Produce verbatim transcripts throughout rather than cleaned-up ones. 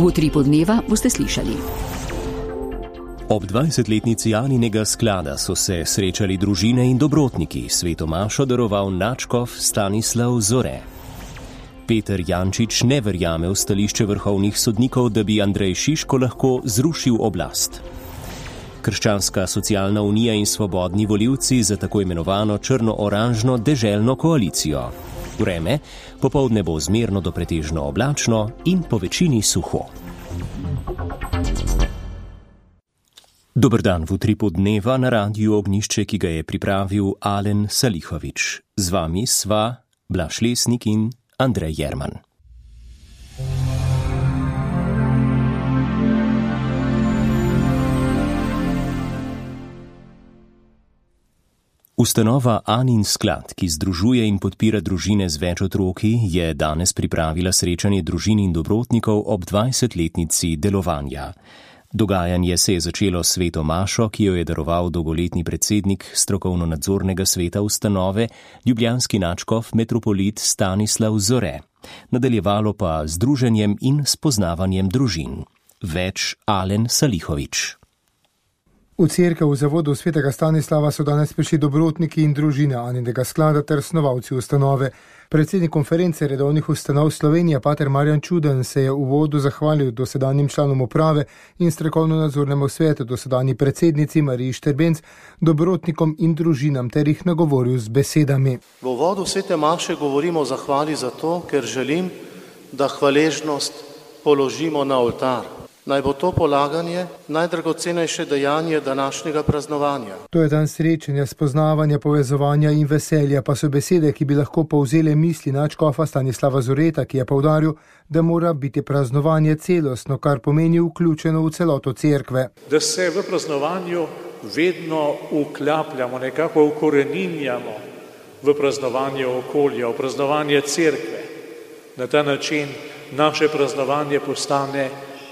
V utripu dneva boste slišali. Ob dvajsetletnici Aninega sklada so se srečali družine in dobrotniki. Sveto mašo daroval nadškof Stanislav Zore. Peter Jančič ne verjame v stališče vrhovnih sodnikov, da bi Andrej Šiško lahko zrušil oblast. Krščanska socialna unija in svobodni volivci za tako imenovano črno-oranžno deželno koalicijo. Vreme, popoldne bo zmerno do pretežno oblačno in po večini suho. Dober dan v utripu dneva na Radiu Ognjišče, ki ga je pripravil Alen Salihovič. Z vami sva Blaž Lesnik in Andrej Jerman. Ustanova Anin sklad, ki združuje in podpira družine z več otroki, je danes pripravila srečanje družin in dobrotnikov ob dvajsetletnici delovanja. Dogajanje se je začelo s sveto mašo, ki jo je daroval dolgoletni predsednik strokovno-nadzornega sveta ustanove, ljubljanski nadškof metropolit Stanislav Zore. Nadaljevalo pa z druženjem in spoznavanjem družin. Več Alen Salihovič. V cerkev v zavodu svetega Stanislava so danes prišli dobrotniki in družine Aninega sklada ter snovalci ustanove. Predsednik konference redovnih ustanov Slovenije, pater Marjan Čuden, se je v uvodu zahvalil dosedanjim članom uprave in strokovno-nadzornemu svetu, dosedanji predsednici Mariji Šterbenc, dobrotnikom in družinam ter jih nagovoril z besedami. V uvodu svete maše govorimo o zahvali zato, ker želim, da hvaležnost položimo na oltar. Naj bo to polaganje najdragocenejše dejanje današnjega praznovanja. To je dan srečanja, spoznavanja, povezovanja in veselja, pa so besede, ki bi lahko povzele misli nadškofa Stanislava Zoreta, ki je poudaril, da mora biti praznovanje celostno, kar pomeni vključeno v celoto cerkve. Da se v praznovanju vedno vklapljamo, nekako ukoreninjamo v praznovanje okolja, v praznovanje cerkve. Na ta način naše praznovanje postane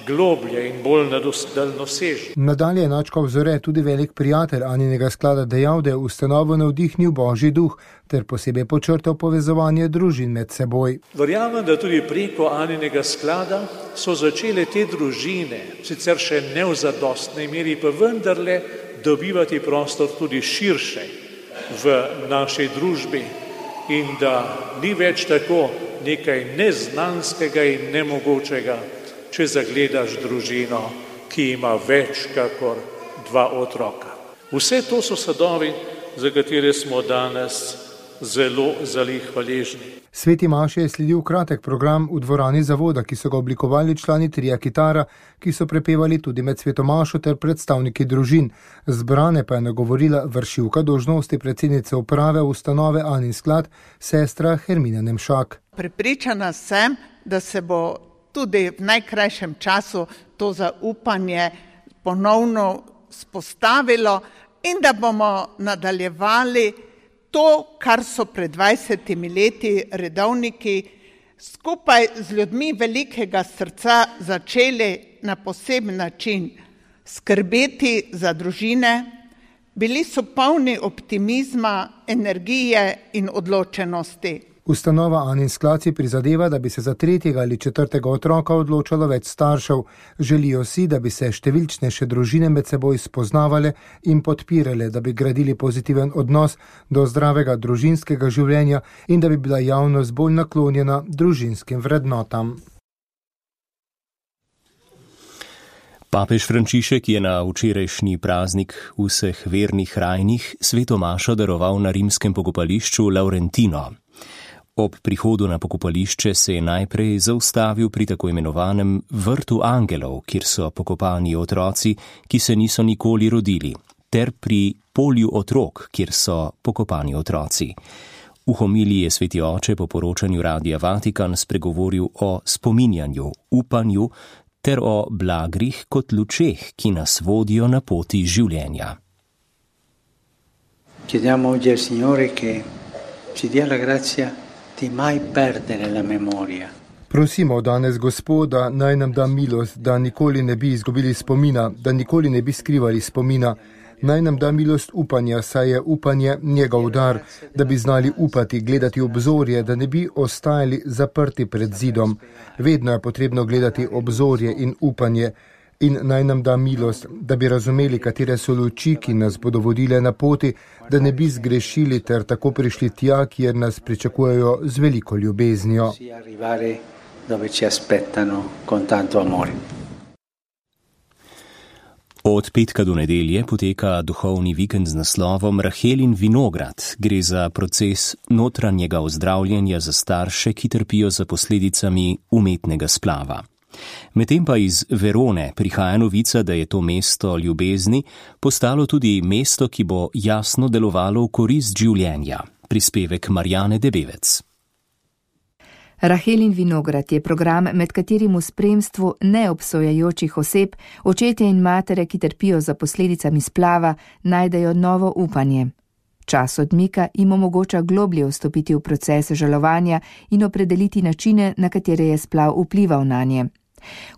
globlje in bolj daljnosežno. Nadalje je nadškof Zore, tudi velik prijatelj Aninega sklada, dejal, da je ustanovo navdihnil Božji duh ter posebej počrtal povezovanje družin med seboj. Verjamem, da tudi preko Aninega sklada so začele te družine, sicer še ne v zadostnej meri, pa vendarle dobivati prostor tudi širše v naši družbi in da ni več tako nekaj neznanskega in nemogočega, če zagledaš družino, ki ima več kakor dva otroka. Vse to so sadovi, za katere smo danes zelo, zelo hvaležni. Sveti maši je sledil kratek program v dvorani zavoda, ki so ga oblikovali člani tria Kitara, ki so prepevali tudi med sveto mašo ter predstavniki družin. Zbrane pa je nagovorila vršilka dolžnosti predsednice uprave ustanove Anin sklad, sestra Hermina Nemšak. Prepričana sem, da se bo tudi v najkrajšem času to zaupanje ponovno spostavilo in da bomo nadaljevali to, kar so pred dvajsetimi leti redovniki skupaj z ljudmi velikega srca začeli na poseben način skrbeti za družine. Bili so polni optimizma, energije in odločenosti. Ustanova Anin sklad si prizadeva, da bi se za tretjega ali četrtega otroka odločalo več staršev. Želijo si, da bi se številčnejše družine med seboj spoznavale in podpirale, da bi gradili pozitiven odnos do zdravega družinskega življenja in da bi bila javnost bolj naklonjena družinskim vrednotam. Papež Frančišek je na včerajšnji praznik vseh vernih rajnih sveto mašo daroval na rimskem pokopališču Laurentino. Ob prihodu na pokopališče se je najprej zaustavil pri tako imenovanem vrtu angelov, kjer so pokopani otroci, ki se niso nikoli rodili, ter pri polju otrok, kjer so pokopani otroci. V homiliji je sveti oče po poročanju Radia Vatikan spregovoril o spominjanju, upanju ter o blagrih kot lučeh, ki nas vodijo na poti življenja. Chiediamo oggi al Signore che ci dia la grazia di mai perdere la memoria. Prosimo danes Gospoda, naj nam da milost, da nikoli ne bi izgubili spomina, da nikoli ne bi skrivali spomina, Naj nam da milost upanja, saj je upanje njegov dar, da bi znali upati, gledati obzorje, da ne bi ostajali zaprti pred zidom. Vedno je potrebno gledati obzorje in upanje. In naj nam da milost, da bi razumeli, katere so luči, ki nas bodo vodile na poti, da ne bi zgrešili ter tako prišli tja, kjer nas pričakujejo z veliko ljubeznijo. Od petka do nedelje poteka duhovni vikend z naslovom Rahelin vinograd. Gre za proces notranjega ozdravljanja za starše, ki trpijo za posledicami umetnega splava. Medtem pa iz Verone prihaja novica, da je to mesto ljubezni postalo tudi mesto, ki bo jasno delovalo v korist življenja. Prispevek Marjane Debevec. Rahelin vinograd je program, med katerim v spremstvu neobsojajočih oseb, očetje in matere, ki trpijo za posledicami splava, najdejo novo upanje. Čas odmika jim omogoča globlje vstopiti v proces žalovanja in opredeliti načine, na katere je splav vplival nanje.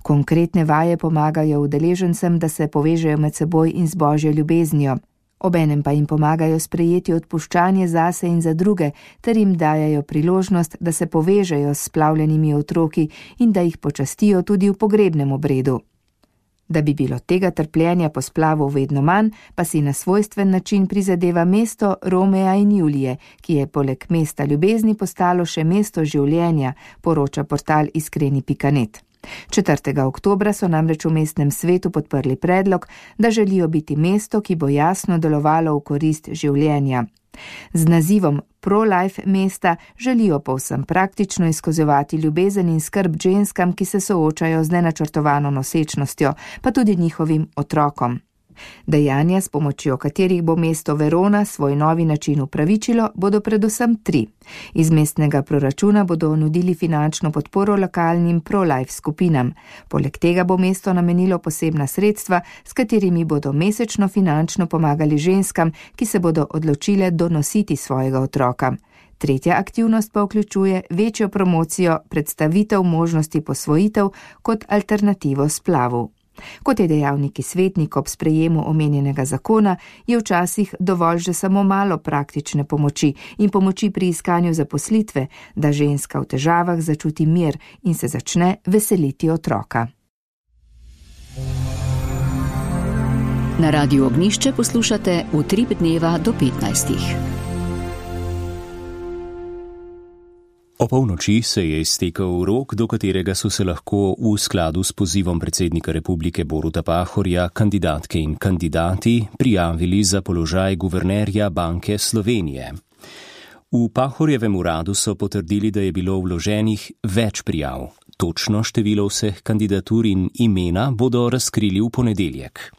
Konkretne vaje pomagajo udeležencem, da se povežejo med seboj in z božjo ljubeznijo. Obenem pa jim pomagajo sprejeti odpuščanje zase in za druge, ter jim dajajo priložnost, da se povežejo s splavljenimi otroki in da jih počastijo tudi v pogrebnem obredu. Da bi bilo tega trpljenja po splavu vedno manj, pa si na svojstven način prizadeva mesto Romea in Julije, ki je poleg mesta ljubezni postalo še mesto življenja, poroča portal iskreni pika net. četrtega oktobra so namreč v mestnem svetu podprli predlog, da želijo biti mesto, ki bo jasno delovalo v korist življenja. Z nazivom Pro-Life mesta želijo povsem praktično izkazovati ljubezen in skrb ženskam, ki se soočajo z nenačrtovano nosečnostjo, pa tudi njihovim otrokom. Dejanja, s pomočjo katerih bo mesto Verona svoj novi način upravičilo, bodo predvsem tri. Iz mestnega proračuna bodo nudili finančno podporo lokalnim pro-life skupinam. Poleg tega bo mesto namenilo posebna sredstva, s katerimi bodo mesečno finančno pomagali ženskam, ki se bodo odločile donositi svojega otroka. Tretja aktivnost pa vključuje večjo promocijo predstavitev možnosti posvojitev kot alternativo splavu. Kot je dejal neki svetnik ob sprejemu omenjenega zakona, je včasih dovolj že samo malo praktične pomoči in pomoči pri iskanju zaposlitve, da ženska v težavah začuti mir in se začne veseliti otroka. Na Radiu Ognjišče poslušate Utrip dneva do petnajstih. O polnoči se je iztekel rok, do katerega so se lahko v skladu s pozivom predsednika Republike Boruta Pahorja kandidatke in kandidati prijavili za položaj guvernerja Banke Slovenije. V Pahorjevem uradu so potrdili, da je bilo vloženih več prijav. Točno število vseh kandidatur in imena bodo razkrili v ponedeljek.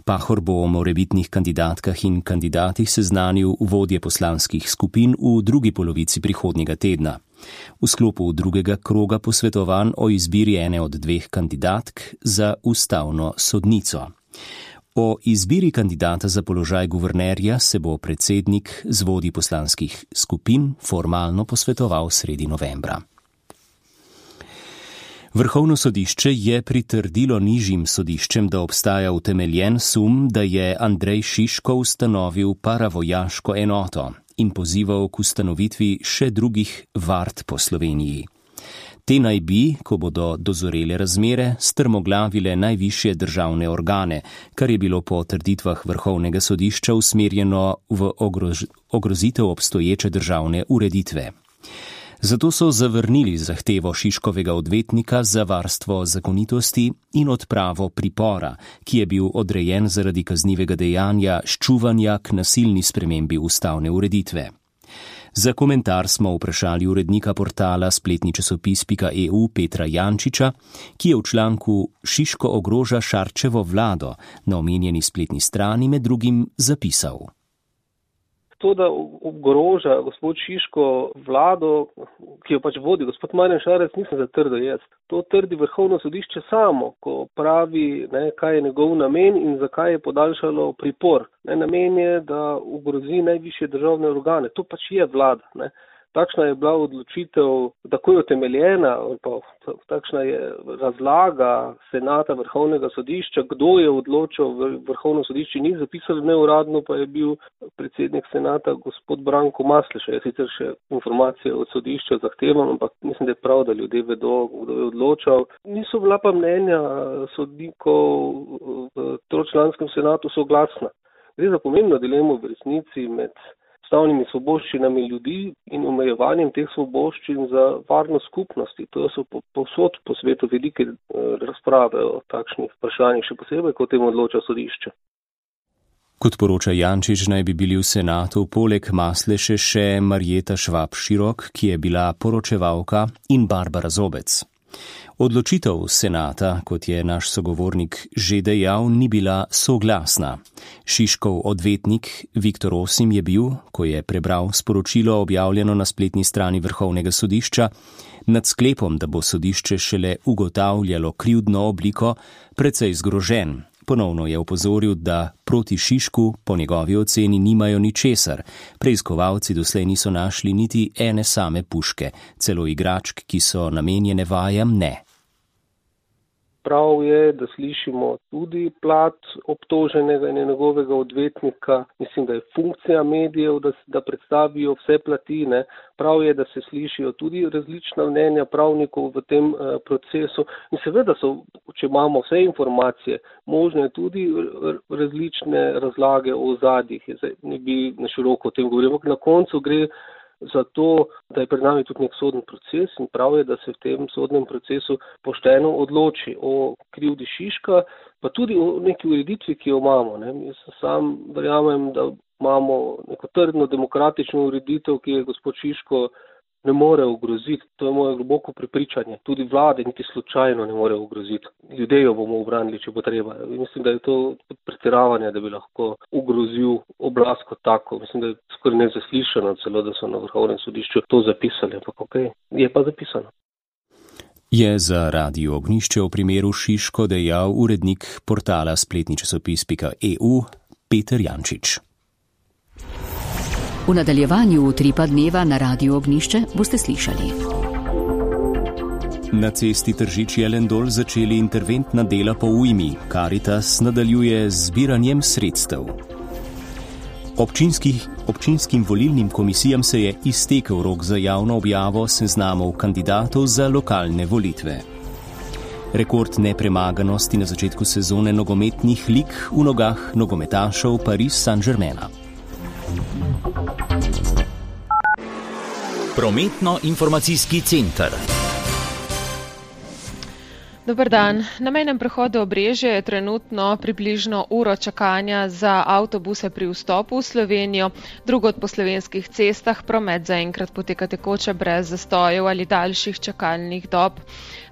Pahor bo o morebitnih kandidatkah in kandidatih seznanil vodje poslanskih skupin v drugi polovici prihodnjega tedna. V sklopu drugega kroga posvetovanj o izbiri ene od dveh kandidatk za ustavno sodnico. O izbiri kandidata za položaj guvernerja se bo predsednik z vodji poslanskih skupin formalno posvetoval sredi novembra. Vrhovno sodišče je pritrdilo nižjim sodiščem, da obstaja utemeljen sum, da je Andrej Šiško ustanovil paravojaško enoto in pozival k ustanovitvi še drugih vard po Sloveniji. Te naj bi, ko bodo dozorele razmere, strmoglavile najvišje državne organe, kar je bilo po trditvah Vrhovnega sodišča usmerjeno v ogrož, ogrozitev obstoječe državne ureditve. Zato so zavrnili zahtevo Šiškovega odvetnika za varstvo zakonitosti in odpravo pripora, ki je bil odrejen zaradi kaznivega dejanja ščuvanja k nasilni spremembi ustavne ureditve. Za komentar smo vprašali urednika portala spletni časopis pika e u Petra Jančiča, ki je v članku Šiško ogroža Šarčevo vlado na omenjeni spletni strani med drugim zapisal. To, da ogroža gospod Šiško vlado, ki jo pač vodi gospod Marjan Šarec, nisem zatrdil jaz. To trdi Vrhovno sodišče samo, ko pravi, ne, kaj je njegov namen in zakaj je podaljšalo pripor. Ne, namen je, da ogrozi najvišje državne organe. To pač je vlada. Ne. takšna je bila odločitev takoj utemeljena, pa takšna je razlaga Senata Vrhovnega sodišča, kdo je odločil v Vrhovno sodišče, ni zapisal neuradno, pa je bil predsednik Senata gospod Branko Masleša. Jaz sicer še informacije od sodišča zahtevam, ampak mislim, da je prav, da ljudje vedo, kdo je odločal. Niso bila pa mnenja sodnikov v tročlanskem senatu soglasna. Gre za pomembno dilemo v resnici med ustavnimi svoboščinami ljudi in omejevanjem teh svoboščin za varnost skupnosti. To so povsod po svetu velike razprave o takšnih vprašanjih, še posebej, ko o tem odloča sodišče. Kot poroča Jančič, naj bi bili v senatu poleg Masleše še Marjeta Švab-Širok, ki je bila poročevalka, in Barbara Zobec. Odločitev senata, kot je naš sogovornik že dejal, ni bila soglasna. Šiškov odvetnik Viktor Osim je bil, ko je prebral sporočilo objavljeno na spletni strani Vrhovnega sodišča, nad sklepom, da bo sodišče šele ugotavljalo krivdno obliko, precej zgrožen. Ponovno je opozoril, da proti Šišku po njegovi oceni nimajo ničesar. Preiskovalci doslej niso našli niti ene same puške, celo igračk, ki so namenjene vajam, ne. Prav je, da slišimo tudi plat obtoženega in njegovega odvetnika. Mislim, da je funkcija medijev, da, da predstavijo vse platine. Prav je, da se slišijo tudi različna mnenja pravnikov v tem uh, procesu. In seveda so, če imamo vse informacije, možne tudi različne razlage o ozadjih. Ne bi na široko o tem govoril, ampak na koncu gre za to, da je pred nami tudi nek sodni proces in prav je, da se v tem sodnem procesu pošteno odloči o krivdi Šiška, pa tudi o neki ureditvi, ki jo imamo. Ne. Jaz sam verjamem, da imamo neko trdno demokratično ureditev, ki je gospod Šiško ne more ogroziti. To je moje globoko prepričanje. Tudi vlade niti slučajno ne more ogroziti. Ljudje jo bomo obranili, če bo treba. Mislim, da je to pretiravanje, da bi lahko ogrozil oblast kot tako. Mislim, da je skoraj nezaslišano celo, da so na Vrhovnem sodišču to zapisali. Ampak okej, okay, je pa zapisano. Je za Radio Ognjišče v primeru Šiško dejal urednik portala spletni časopis pika e u Peter Jančič. V nadaljevanju Utripa dneva na Radiu Ognjišče boste slišali. Na cesti Tržič-Jelendol začeli interventna dela po ujmi. Karitas nadaljuje z zbiranjem sredstev. Občinskih, občinskim volilnim komisijam se je iztekel rok za javno objavo seznamov kandidatov za lokalne volitve. Rekord nepremaganosti na začetku sezone nogometnih lig v nogah nogometašev Paris Saint-Germaina. Prometno-informacijski center. Dobar dan. Na mejnem prehodu Obrežje je trenutno približno uro čakanja za avtobuse pri vstopu v Slovenijo. Drugod po slovenskih cestah promet zaenkrat poteka tekoče brez zastojev ali daljših čakalnih dob.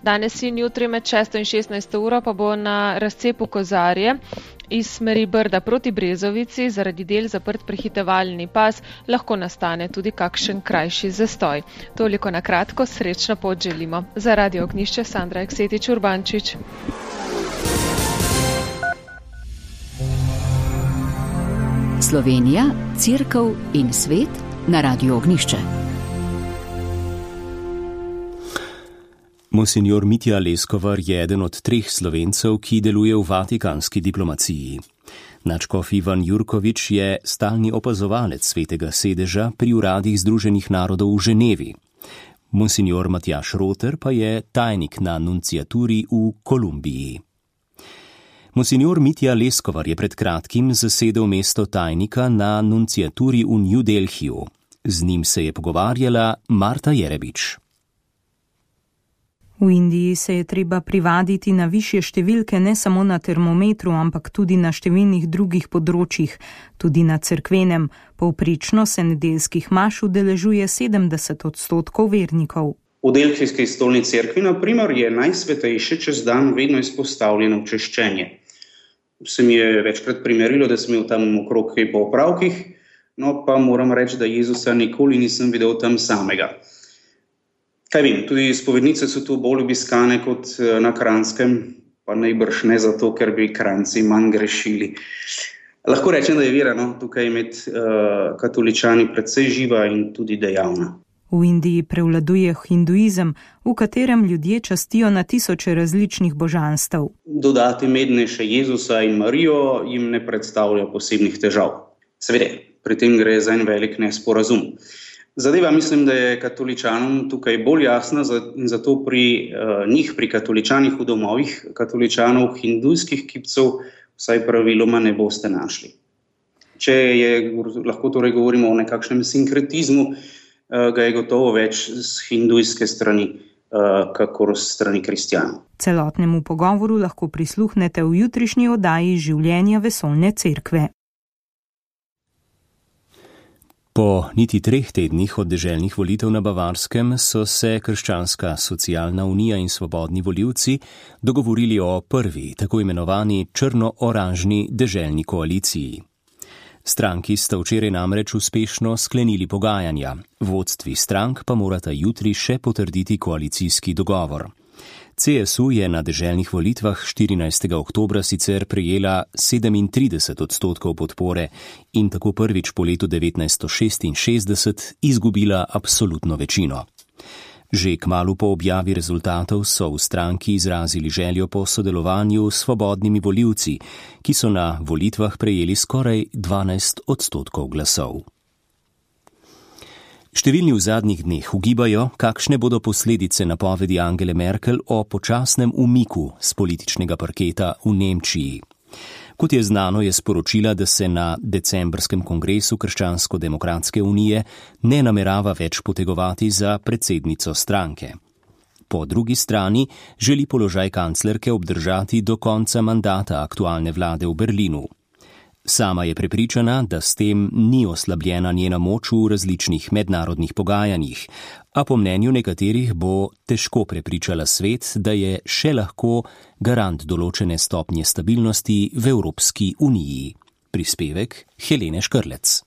Danes in jutri med šesto in šestnajsto uro pa bo na razcepu Kozarje iz smeri Brda proti Brezovici zaradi del zaprt prehitevalni pas, lahko nastane tudi kakšen krajši zastoj. Toliko na kratko, srečno pot želimo. Za Radio Ognjišče Sandra Eksetič-Urbančič. Slovenija, Cerkev in svet na Radio Ognjišče. Monsignor Mitja Leskovar je eden od treh Slovencev, ki deluje v vatikanski diplomaciji. Nadškof Ivan Jurkovič je stalni opazovalec Svetega sedeža pri uradih Združenih narodov v Ženevi. Monsignor Matjaž Roter pa je tajnik na nunciaturi v Kolumbiji. Monsignor Mitja Leskovar je pred kratkim zasedel mesto tajnika na nunciaturi v New Delhiju. Z njim se je pogovarjala Marta Jerebič. V Indiji se je treba privaditi na višje številke ne samo na termometru, ampak tudi na številnih drugih področjih, tudi na cerkvenem. Povprečno se nedeljskih maš udeležuje sedemdeset odstotkov vernikov. V delhijski stolni cerkvi, na primer, je najsvetejše čez dan vedno izpostavljeno češčenje. Se mi je večkrat primerilo, da sem imel tam okrog kaj po opravkih, no pa moram reči, da Jezusa nikoli nisem videl tam samega. Kaj vem, tudi spovednice so tu bolj obiskane kot na Kranjskem, pa najbrž ne zato, ker bi Kranjci manj grešili. Lahko rečem, da je vera no, tukaj med uh, katoličani precej živa in tudi dejavna. V Indiji prevladuje hinduizem, v katerem ljudje častijo na tisoče različnih božanstev. Dodati medne še Jezusa in Marijo jim ne predstavlja posebnih težav. Seveda, pri tem gre za en velik nesporazum. Zadeva mislim, da je katoličanom tukaj bolj jasna in zato pri uh, njih, pri katoličanih v domovih, katoličanov hindujskih kipcev, vsaj praviloma ne boste našli. Če je, lahko torej govorimo o nekakšnem sinkretizmu, uh, ga je gotovo več z hindujske strani, uh, kakor z strani kristjanov. Celotnemu pogovoru lahko prisluhnete v jutrišnji oddaji Življenja vesoljne cerkve. Po niti treh tednih od deželnih volitev na Bavarskem so se Krščanska socialna unija in Svobodni volivci dogovorili o prvi, tako imenovani črno-oranžni deželni koaliciji. Stranki sta včeraj namreč uspešno sklenili pogajanja, vodstvi strank pa morata jutri še potrditi koalicijski dogovor. C S U je na deželnih volitvah štirinajstega oktobra sicer prejela sedemintrideset odstotkov podpore in tako prvič po letu devetnajststo šestinšestdeset izgubila absolutno večino. Že kmalu po objavi rezultatov so v stranki izrazili željo po sodelovanju s svobodnimi volivci, ki so na volitvah prejeli skoraj dvanajst odstotkov glasov. Številni v zadnjih dneh ugibajo, kakšne bodo posledice napovedi Angele Merkel o počasnem umiku z političnega parketa v Nemčiji. Kot je znano, je sporočila, da se na decembrskem kongresu Krščansko-demokratske unije ne namerava več potegovati za predsednico stranke. Po drugi strani želi položaj kanclerke obdržati do konca mandata aktualne vlade v Berlinu. Sama je prepričana, da s tem ni oslabljena njena moč v različnih mednarodnih pogajanjih, a po mnenju nekaterih bo težko prepričala svet, da je še lahko garant določene stopnje stabilnosti v Evropski uniji. Prispevek Helene Škrlec.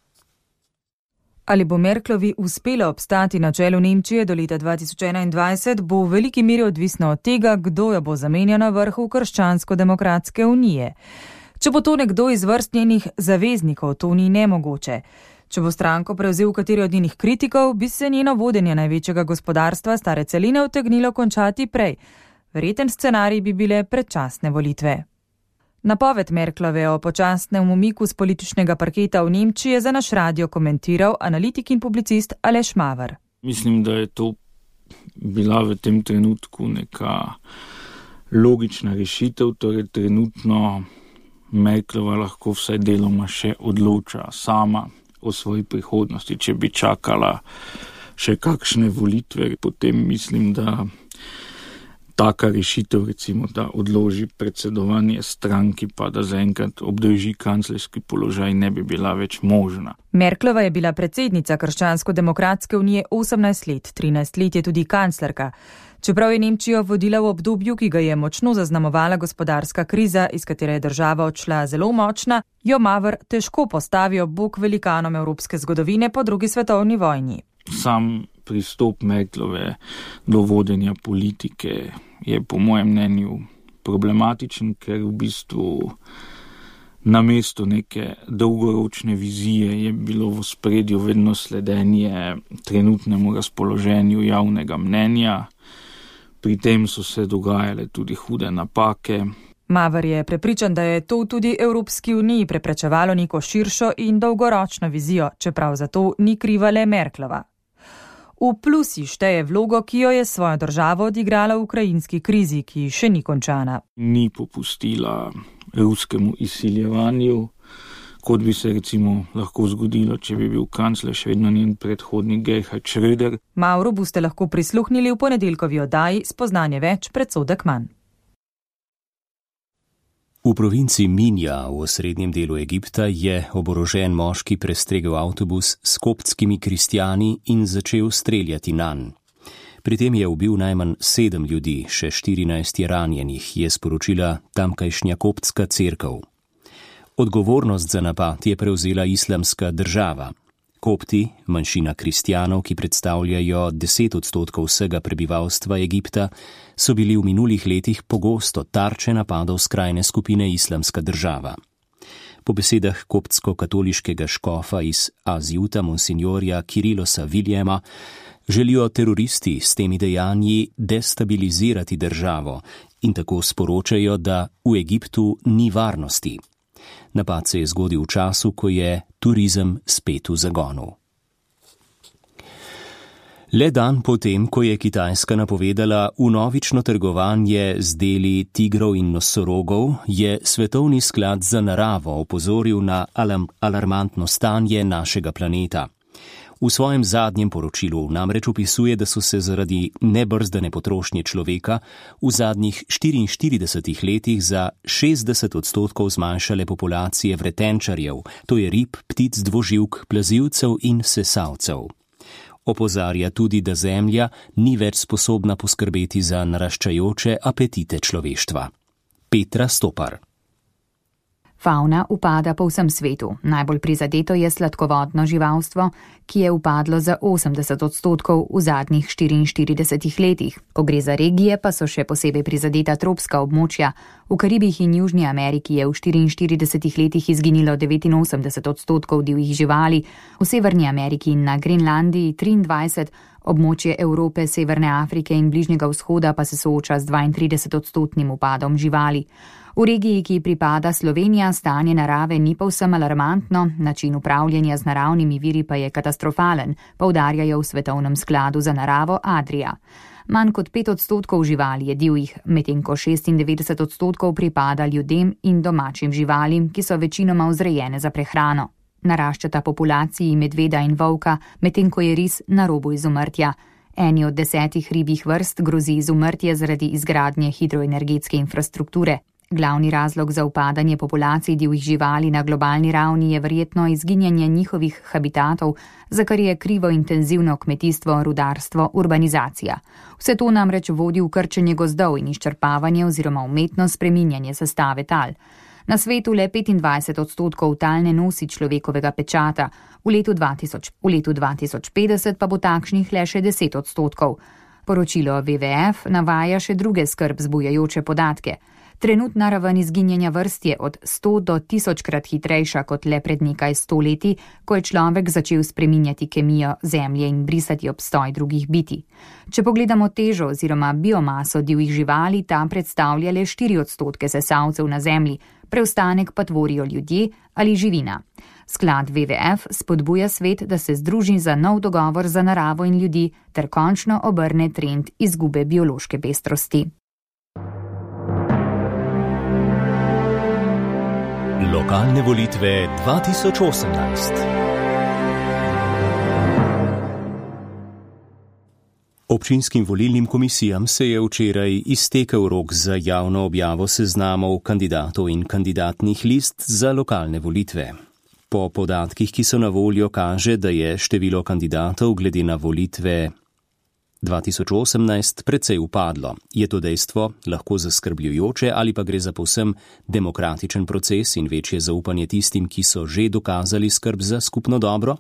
Ali bo Merklovi uspelo obstati na čelu Nemčije do leta dva tisoč enaindvajset, bo v veliki meri odvisno od tega, kdo jo bo zamenjal na vrhu Krščansko-demokratske unije. Če bo to nekdo iz vrst njenih zaveznikov, to ni nemogoče. Če bo stranko prevzel kateri od njenih kritikov, bi se njeno vodenje največjega gospodarstva stare celine utegnilo končati prej. Verjeten scenarij bi bile predčasne volitve. Napoved Merklove o počasnem umiku z političnega parketa v Nemčiji je za naš radio komentiral analitik in publicist Aleš Maver. Mislim, da je to bila v tem trenutku neka logična rešitev, torej trenutno Merklova lahko vsaj deloma še odloča sama o svoji prihodnosti. Če bi čakala še kakšne volitve, potem mislim, da taka rešitev, recimo, da odloži predsedovanje stranki, pa da zaenkrat obdrži kanclerski položaj, ne bi bila več možna. Merklova je bila predsednica Krščansko-demokratske unije osemnajst let, trinajst let je tudi kanclerka. Čeprav je Nemčijo vodila v obdobju, ki ga je močno zaznamovala gospodarska kriza, iz katere je država odšla zelo močna, jo Maver težko postavi ob bok velikanom evropske zgodovine po drugi svetovni vojni. Sam pristop Merklove do vodenja politike je po mojem mnenju problematičen, ker v bistvu namesto neke dolgoročne vizije je bilo v ospredju vedno sledenje trenutnemu razpoloženju javnega mnenja. Pri tem so se dogajale tudi hude napake. Maver je prepričan, da je to tudi Evropski uniji preprečevalo neko širšo in dolgoročno vizijo, čeprav za to ni kriva le Merklova. V plusi šteje vlogo, ki jo je svojo državo odigrala v ukrajinski krizi, ki še ni končana. Ni popustila ruskemu izsiljevanju, kot bi se recimo lahko zgodilo, če bi bil kancler še vedno njen predhodnik Gerhard Schröder. Mauro boste lahko prisluhnili v ponedeljkovi oddaji Spoznanje več, predsodek manj. V provinci Minja v osrednjem delu Egipta je oborožen moški prestregel avtobus s koptskimi kristjani in začel streljati nanj. Pri tem je ubil najmanj sedem ljudi, še štirinajst je ranjenih, je sporočila tamkajšnja koptska cerkev. Odgovornost za napad je prevzela Islamska država. Kopti, manjšina kristjanov, ki predstavljajo deset odstotkov vsega prebivalstva Egipta, so bili v minulih letih pogosto tarče napadov skrajne skupine Islamska država. Po besedah koptsko-katoliškega škofa iz Azjuta, monsinjorja Kirilosa Viljema, Želijo teroristi s temi dejanji destabilizirati državo in tako sporočajo, da v Egiptu ni varnosti. Napad se je zgodil v času, ko je turizem spet v zagonu. Le dan potem, ko je Kitajska napovedala vnovično trgovanje z deli tigrov in nosorogov, je Svetovni sklad za naravo opozoril na alarmantno stanje našega planeta. V svojem zadnjem poročilu namreč opisuje, da so se zaradi nebrzdane potrošnje človeka v zadnjih štiriinštiridesetih letih za šestdeset odstotkov zmanjšale populacije vretenčarjev, to je rib, ptic, dvoživk, plazilcev in sesalcev. Opozarja tudi, da Zemlja ni več sposobna poskrbeti za naraščajoče apetite človeštva. Petra Stopar. Fauna upada po vsem svetu. Najbolj prizadeto je sladkovodno živalstvo, ki je upadlo za osemdeset odstotkov v zadnjih štiriinštiridesetih letih. Ko gre za regije, pa so še posebej prizadeta tropska območja. V Karibih in Južni Ameriki je v štiriinštiridesetih letih izginilo devetinosemdeset odstotkov divjih živali, v Severni Ameriki in na Grenlandiji triindvajset, območje Evrope, Severne Afrike in Bližnjega vzhoda pa se sooča z dvaintrideset odstotnim upadom živali. V regiji, ki pripada Slovenija, stanje narave ni povsem alarmantno, način upravljanja z naravnimi viri pa je katastrofalen, poudarjajo v Svetovnem skladu za naravo Adria. Manj kot pet odstotkov živali je divjih, medtem ko šestindevetdeset odstotkov pripada ljudem in domačim živalim, ki so večinoma vzrejene za prehrano. Naraščata populaciji medveda in volka, medtem ko je ris na robu izumrtja. Eni od desetih ribjih vrst grozi izumrtje zaradi izgradnje hidroenergetske infrastrukture. Glavni razlog za upadanje populacij divjih živali na globalni ravni je verjetno izginjanje njihovih habitatov, za kar je krivo intenzivno kmetijstvo, rudarstvo, urbanizacija. Vse to namreč vodi v krčenje gozdov in izčrpavanje oziroma umetno spreminjanje sestave tal. Na svetu le petindvajset odstotkov tal ne nosi človekovega pečata, v letu, dva tisoč, v letu dva tisoč petdeset pa bo takšnih le še deset odstotkov. Poročilo W W F navaja še druge skrb zbujajoče podatke. Trenutna raven izginjanja vrst je od sto do tisočkrat hitrejša kot le pred nekaj sto leti, ko je človek začel spreminjati kemijo zemlje in brisati obstoj drugih bitij. Če pogledamo težo oziroma biomaso divjih živali, ta predstavlja le štiri odstotke sesalcev na zemlji, preostanek pa tvorijo ljudje ali živina. Sklad W W F spodbuja svet, da se združi za nov dogovor za naravo in ljudi ter končno obrne trend izgube biološke pestrosti. Lokalne volitve dva tisoč osemnajst. Občinskim volilnim komisijam se je včeraj iztekel rok za javno objavo seznamov kandidatov in kandidatnih list za lokalne volitve. Po podatkih, ki so na voljo, kaže, da je število kandidatov glede na volitve dva tisoč osemnajst precej upadlo. Je to dejstvo lahko zaskrbljujoče ali pa gre za povsem demokratičen proces in večje zaupanje tistim, ki so že dokazali skrb za skupno dobro?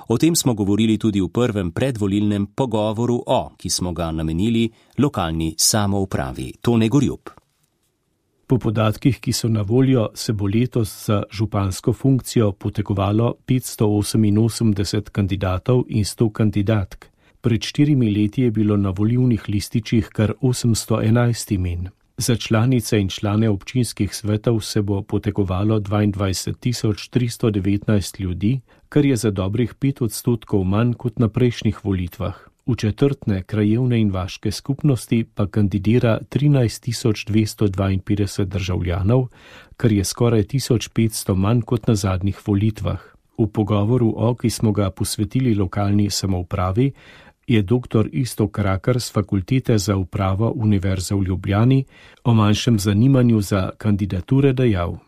O tem smo govorili tudi v prvem predvolilnem pogovoru o, ki smo ga namenili lokalni samoupravi. Tone Gorjup. Po podatkih, ki so na voljo, se bo letos za župansko funkcijo potegovalo petsto oseminosemdeset kandidatov in sto kandidatk. Pred štirimi leti je bilo na volilnih lističih kar osemsto enajst imen. Za članice in člane občinskih svetov se bo potegovalo dvaindvajset tisoč tristo devetnajst ljudi, kar je za dobrih pet odstotkov manj kot na prejšnjih volitvah. V četrtne krajevne in vaške skupnosti pa kandidira trinajst tisoč dvesto dvainpetdeset državljanov, kar je skoraj tisoč petsto manj kot na zadnjih volitvah. V pogovoru o, ki smo ga posvetili lokalni samoupravi, je doktor Iztok Rakar z Fakultete za upravo Univerze v Ljubljani o manjšem zanimanju za kandidature dejal.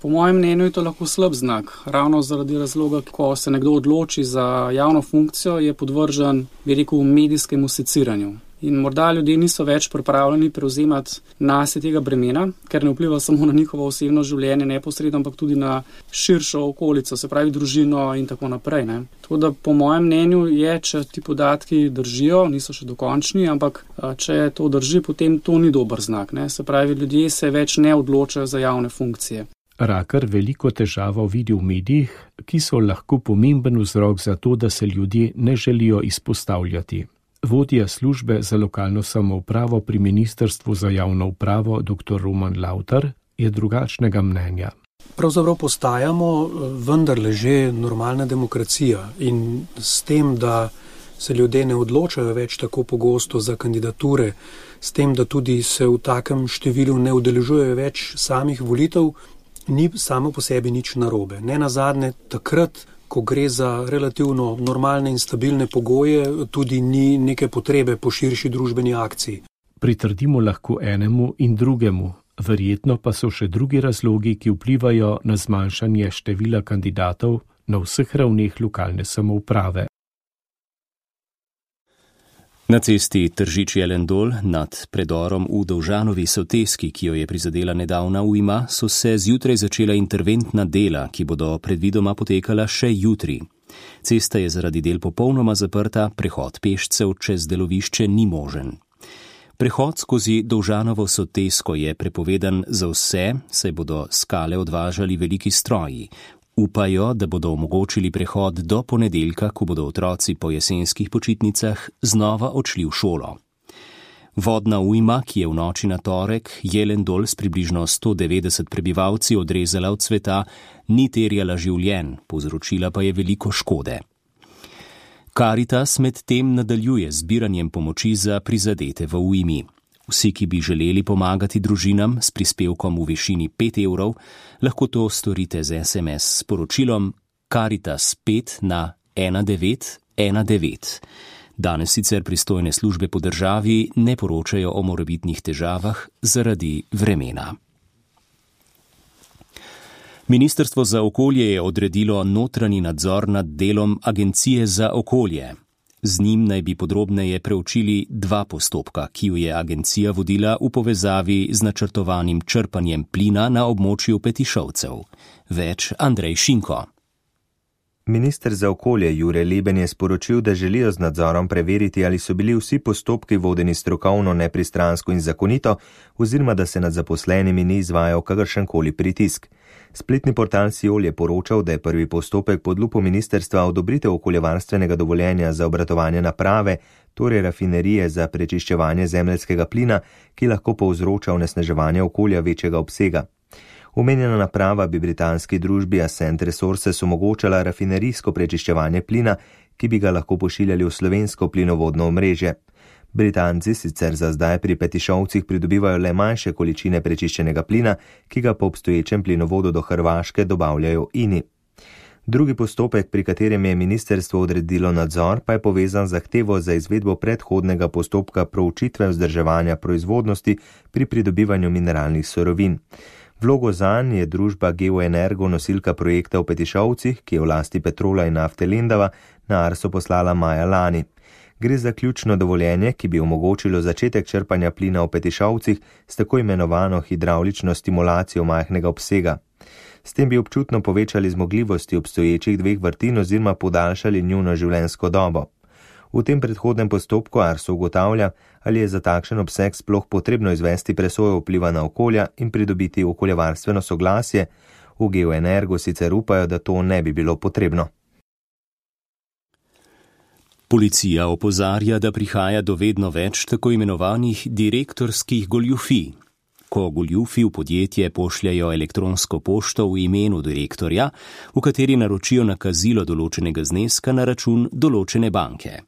Po mojem mnenju je to lahko slab znak, ravno zaradi razloga, ko se nekdo odloči za javno funkcijo, je podvržen, bi rekel, medijskemu seciranju. In morda ljudje niso več pripravljeni prevzemati nase tega bremena, ker ne vpliva samo na njihovo osebno življenje neposredno, ampak tudi na širšo okolico, se pravi družino in tako naprej. Ne. Tako da po mojem mnenju je, če ti podatki držijo, niso še dokončni, ampak če to drži, potem to ni dober znak. Ne. Se pravi, ljudje se več ne odločajo za javne funkcije. Rakar veliko težavo vidi v medijih, ki so lahko pomemben vzrok za to, da se ljudje ne želijo izpostavljati. Vodja službe za lokalno samoupravo pri Ministrstvu za javno upravo dr. Roman Lautar je drugačnega mnenja. Pravzaprav postajamo vendarle že normalna demokracija in s tem, da se ljudje ne odločajo več tako pogosto za kandidature, s tem, da tudi se v takem številu ne udeležujejo več samih volitev, ni samo po sebi nič narobe. Ne nazadnje, takrat, ko gre za relativno normalne in stabilne pogoje, tudi ni neke potrebe po širši družbeni akciji. Pritrdimo lahko enemu in drugemu, verjetno pa so še drugi razlogi, ki vplivajo na zmanjšanje števila kandidatov na vseh ravneh lokalne samouprave. Na cesti Tržič-Jelendol nad predorom v Dovžanovi soteski, ki jo je prizadela nedavna ujma, so se zjutraj začela interventna dela, ki bodo predvidoma potekala še jutri. Cesta je zaradi del popolnoma zaprta, prehod pešcev čez delovišče ni možen. Prehod skozi Dovžanovo sotesko je prepovedan za vse, saj bodo skale odvažali veliki stroji. Upajo, da bodo omogočili prehod do ponedeljka, ko bodo otroci po jesenskih počitnicah znova odšli v šolo. Vodna ujma, ki je v noči na torek Jelendol s približno sto devetdeset prebivalci odrezala od sveta, ni terjala življenj, povzročila pa je veliko škode. Karitas med tem nadaljuje zbiranjem pomoči za prizadete v ujmi. Vsi, ki bi želeli pomagati družinam s prispevkom v višini pet evrov, lahko to storite z es em es sporočilom Karitas pet na ena devet ena devet. Danes sicer pristojne službe po državi ne poročajo o morebitnih težavah zaradi vremena. Ministrstvo za okolje je odredilo notranji nadzor nad delom Agencije za okolje. Z njim naj bi podrobneje preučili dva postopka, ki ju je agencija vodila v povezavi z načrtovanim črpanjem plina na območju Petišovcev. Več Andrej Šinko. Minister za okolje Jure Leben je sporočil, da želijo z nadzorom preveriti, ali so bili vsi postopki vodeni strokovno, nepristransko in zakonito, oziroma da se nad zaposlenimi ni izvajal kakršenkoli pritisk. Spletni portal Siol je poročal, da je prvi postopek pod lupo ministrstva odobritev okoljevarstvenega dovoljenja za obratovanje naprave, torej rafinerije za prečiščevanje zemeljskega plina, ki lahko povzroča onesnaževanje okolja večjega obsega. Omenjena naprava bi britanski družbi Ascent Resources omogočala rafinerijsko prečiščevanje plina, ki bi ga lahko pošiljali v slovensko plinovodno omrežje. Britanci sicer za zdaj pri Petišovcih pridobivajo le manjše količine prečiščenega plina, ki ga po obstoječem plinovodu do Hrvaške dobavljajo Ini. Drugi postopek, pri katerem je ministrstvo odredilo nadzor, pa je povezan z zahtevo za izvedbo predhodnega postopka proučitve vzdrževanja proizvodnosti pri pridobivanju mineralnih surovin. Vlogo zanj je družba Geoenergo, nosilka projekta v Petišovcih, ki je v lasti Petrola in nafte Lendava, na Arso poslala maja lani. Gre za ključno dovoljenje, ki bi omogočilo začetek črpanja plina v Petišovcih s tako imenovano hidravlično stimulacijo majhnega obsega. S tem bi občutno povečali zmogljivosti obstoječih dveh vrtin oziroma podaljšali njuno življenjsko dobo. V tem predhodnem postopku Arso ugotavlja, ali je za takšen obseg sploh potrebno izvesti presojo vpliva na okolja in pridobiti okoljevarstveno soglasje. V Geoenergo sicer upajo, da to ne bi bilo potrebno. Policija opozarja, da prihaja do vedno več tako imenovanih direktorskih goljufij. Ko goljufi v podjetje pošljajo elektronsko pošto v imenu direktorja, v kateri naročijo nakazilo določenega zneska na račun določene banke.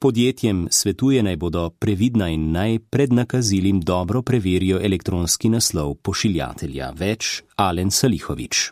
Podjetjem svetuje, naj bodo previdna in naj pred nakazilim dobro preverijo elektronski naslov pošiljatelja. Več Alen Salihovič.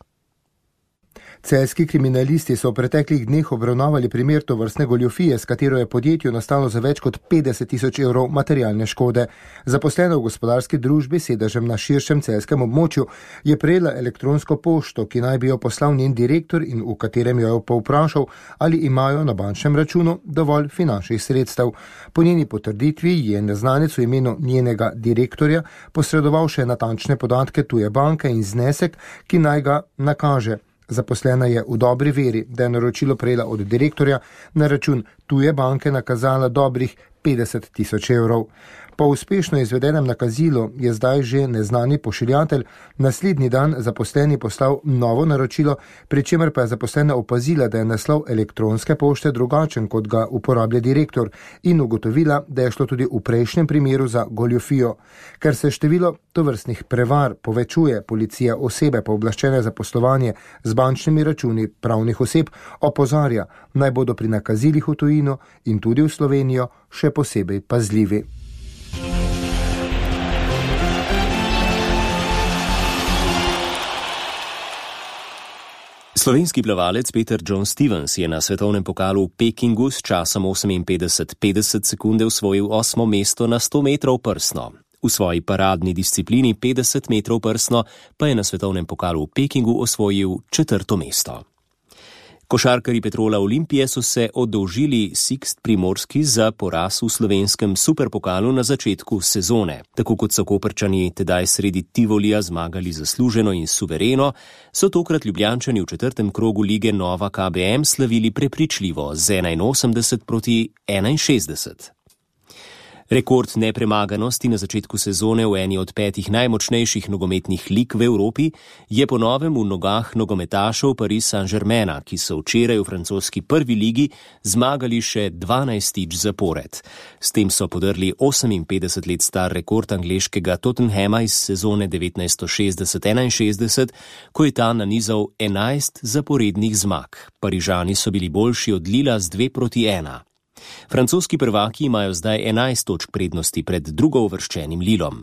Celjski kriminalisti so v preteklih dneh obravnavali primer tovrstne goljufije, s katero je podjetju nastalo za več kot petdeset tisoč evrov materialne škode. Zaposlena v gospodarski družbi sedežem na širšem celjskem območju je prejela elektronsko pošto, ki naj bi jo poslal njen direktor in v katerem jo je povprašal, ali imajo na bančnem računu dovolj finančnih sredstev. Po njeni potrditvi je neznanec v imenu njenega direktorja posredoval še natančne podatke tuje banke in znesek, ki naj ga nakaže. Zaposlena je v dobri veri, da je naročilo prejela od direktorja, na račun tuje banke nakazala dobrih petdeset tisoč evrov. Po uspešno izvedenem nakazilu je zdaj že neznani pošiljatelj naslednji dan zaposleni poslal novo naročilo, pri čemer pa je zaposlena opazila, da je naslov elektronske pošte drugačen, kot ga uporablja direktor, in ugotovila, da je šlo tudi v prejšnjem primeru za goljufijo. Ker se število tovrstnih prevar povečuje, policija osebe pooblaščene za poslovanje z bančnimi računi pravnih oseb opozarja, naj bodo pri nakazilih v tujino in tudi v Slovenijo še posebej pazljivi. Slovenski plavalec Peter John Stevens je na svetovnem pokalu v Pekingu s časom oseminpetdeset petdeset sekunde osvojil osmo mesto na sto metrov prsno. V svoji paradni disciplini petdeset metrov prsno pa je na svetovnem pokalu v Pekingu osvojil četrto mesto. Košarkarji Petrola Olimpije so se oddolžili Sixt Primorski za poraz v slovenskem superpokalu na začetku sezone. Tako kot so Koprčani tedaj sredi Tivolija zmagali zasluženo in suvereno, so tokrat Ljubljančani v četrtem krogu lige Nova K B M slavili prepričljivo z enainosemdeset proti enainšestdeset. Rekord nepremaganosti na začetku sezone v eni od petih najmočnejših nogometnih lig v Evropi je po novem v nogah nogometašev Paris Saint-Germaina, ki so včeraj v francoski prvi ligi zmagali še dvanajstič zapored. S tem so podrli oseminpetdeset let star rekord angleškega Tottenhama iz sezone devetnajststo šestdeset enainšestdeset, ko je ta nanizal enajst zaporednih zmag. Parižani so bili boljši od Lila z dve proti ena. Francoski prvaki imajo zdaj enajst točk prednosti pred drugouvrščenim Lilom.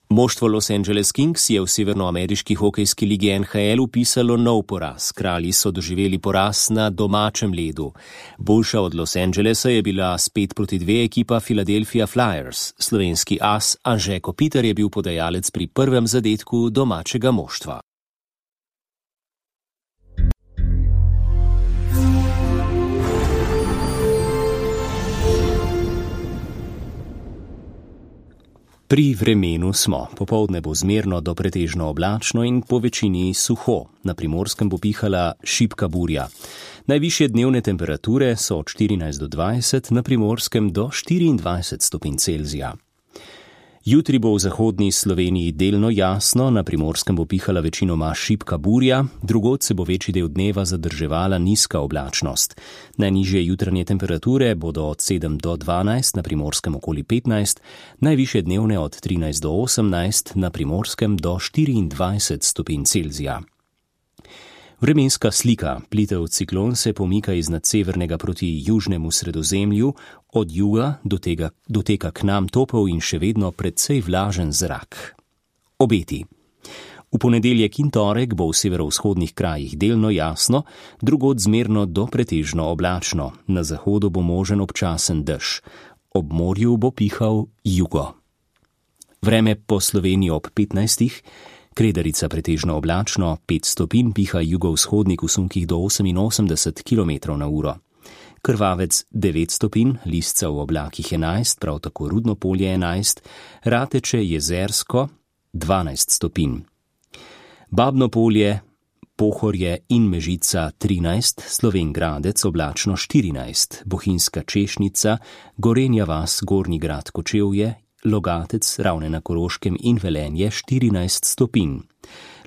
Moštvo Los Angeles Kings je v severnoameriški hokejski ligi N H L upisalo nov poraz. Kralji so doživeli poraz na domačem ledu. Boljša od Los Angelesa je bila s pet proti dve ekipa Philadelphia Flyers. Slovenski as Anže Kopitar je bil podajalec pri prvem zadetku domačega moštva. Pri vremenu smo. Popoldne bo zmerno do pretežno oblačno in po večini suho. Na Primorskem bo pihala šibka burja. Najvišje dnevne temperature so od štirinajst do dvajset, na Primorskem do štiriindvajset stopinj Celzija. Jutri bo v zahodni Sloveniji delno jasno, na Primorskem bo pihala večinoma šibka burja, drugod se bo večji del dneva zadrževala nizka oblačnost. Najnižje jutranje temperature bodo od sedem do dvanajst, na Primorskem okoli petnajst, najvišje dnevne od trinajst do osemnajst, na Primorskem do štiriindvajset stopinj Celzija. Vremenska slika. Plitev ciklon se pomika iz nadsevernega proti južnemu sredozemlju, od juga dotega, doteka k nam topel in še vedno precej vlažen zrak. Obeti. V ponedeljek in torek bo v severovzhodnih krajih delno jasno, drugod zmerno do pretežno oblačno. Na zahodu bo možen občasen dež. Ob morju bo pihal jugo. Vreme po Sloveniji ob petnajstih. Kredarica pretežno oblačno, pet stopinj, piha jugovzhodnik v sunkih do oseminosemdeset kilometrov na uro. Krvavec devet stopinj, Lisca v oblakih enajst, prav tako Rudno polje enajst, Rateče jezersko dvanajst stopinj. Babno polje, Pohorje in Mežica trinajst, Slovenj Gradec oblačno štirinajst, Bohinjska Češnica, Gorenja vas, Gornji Grad Kočevje, Logatec, Ravne na Koroškem in Velenje štirinajst stopinj.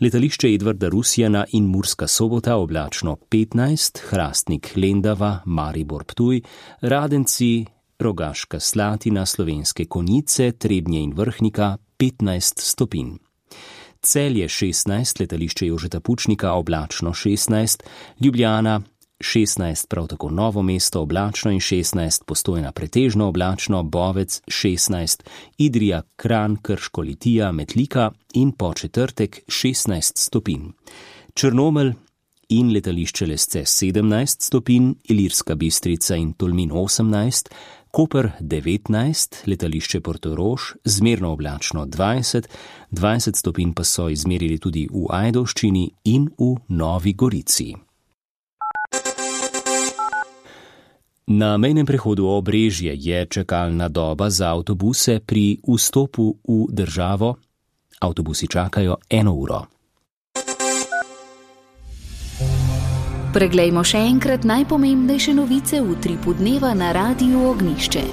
Letališče Edvarda Rusjana in Murska Sobota oblačno petnajst, Hrastnik Lendava, Maribor Ptuj, Radenci, Rogaška Slatina, Slovenske Konjice, Trebnje in Vrhnika petnajst stopinj. Celje šestnajst, letališče Jožeta Pučnika oblačno šestnajst, Ljubljana šestnajst, prav tako Novo mesto oblačno in šestnajst, Postojna pretežno oblačno, Bovec šestnajst, Idrija, Kranj, Krško, Litija, Metlika in po četrtek šestnajst stopinj. Črnomelj in letališče Lesce sedemnajst stopinj, Ilirska Bistrica in Tolmin osemnajst, Koper devetnajst, letališče Portorož zmerno oblačno dvajset, dvajset stopinj pa so izmerili tudi v Ajdovščini in v Novi Gorici. Na mejnem prehodu Obrežje je čakalna doba za avtobuse pri vstopu v državo. Avtobusi čakajo eno uro. Preglejmo še enkrat najpomembnejše novice v utripu dneva na Radiu Ognjišče.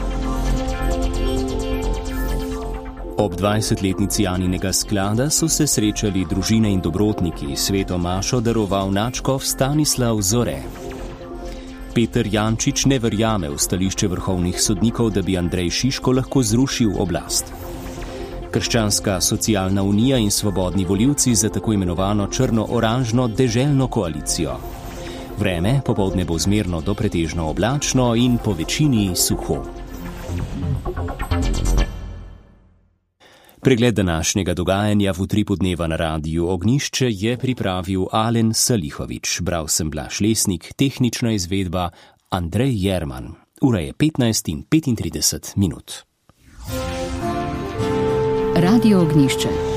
Ob dvajsetletnici Aninega sklada so se srečali družine in dobrotniki, sveto mašo daroval nadškof Stanislav Zore. Peter Jančič ne verjame v stališče vrhovnih sodnikov, da bi Andrej Šiško lahko zrušil oblast. Krščanska socialna unija in svobodni volivci za tako imenovano črno-oranžno deželno koalicijo. Vreme popoldne bo zmerno do pretežno oblačno in po večini suho. Pregled današnjega dogajanja v utripu dneva na Radiu Ognjišče je pripravil Alen Salihovič, bral sem Blaž Lesnik, tehnična izvedba Andrej Jerman. Ura je petnajst in petintrideset minut. Radio Ognjišče.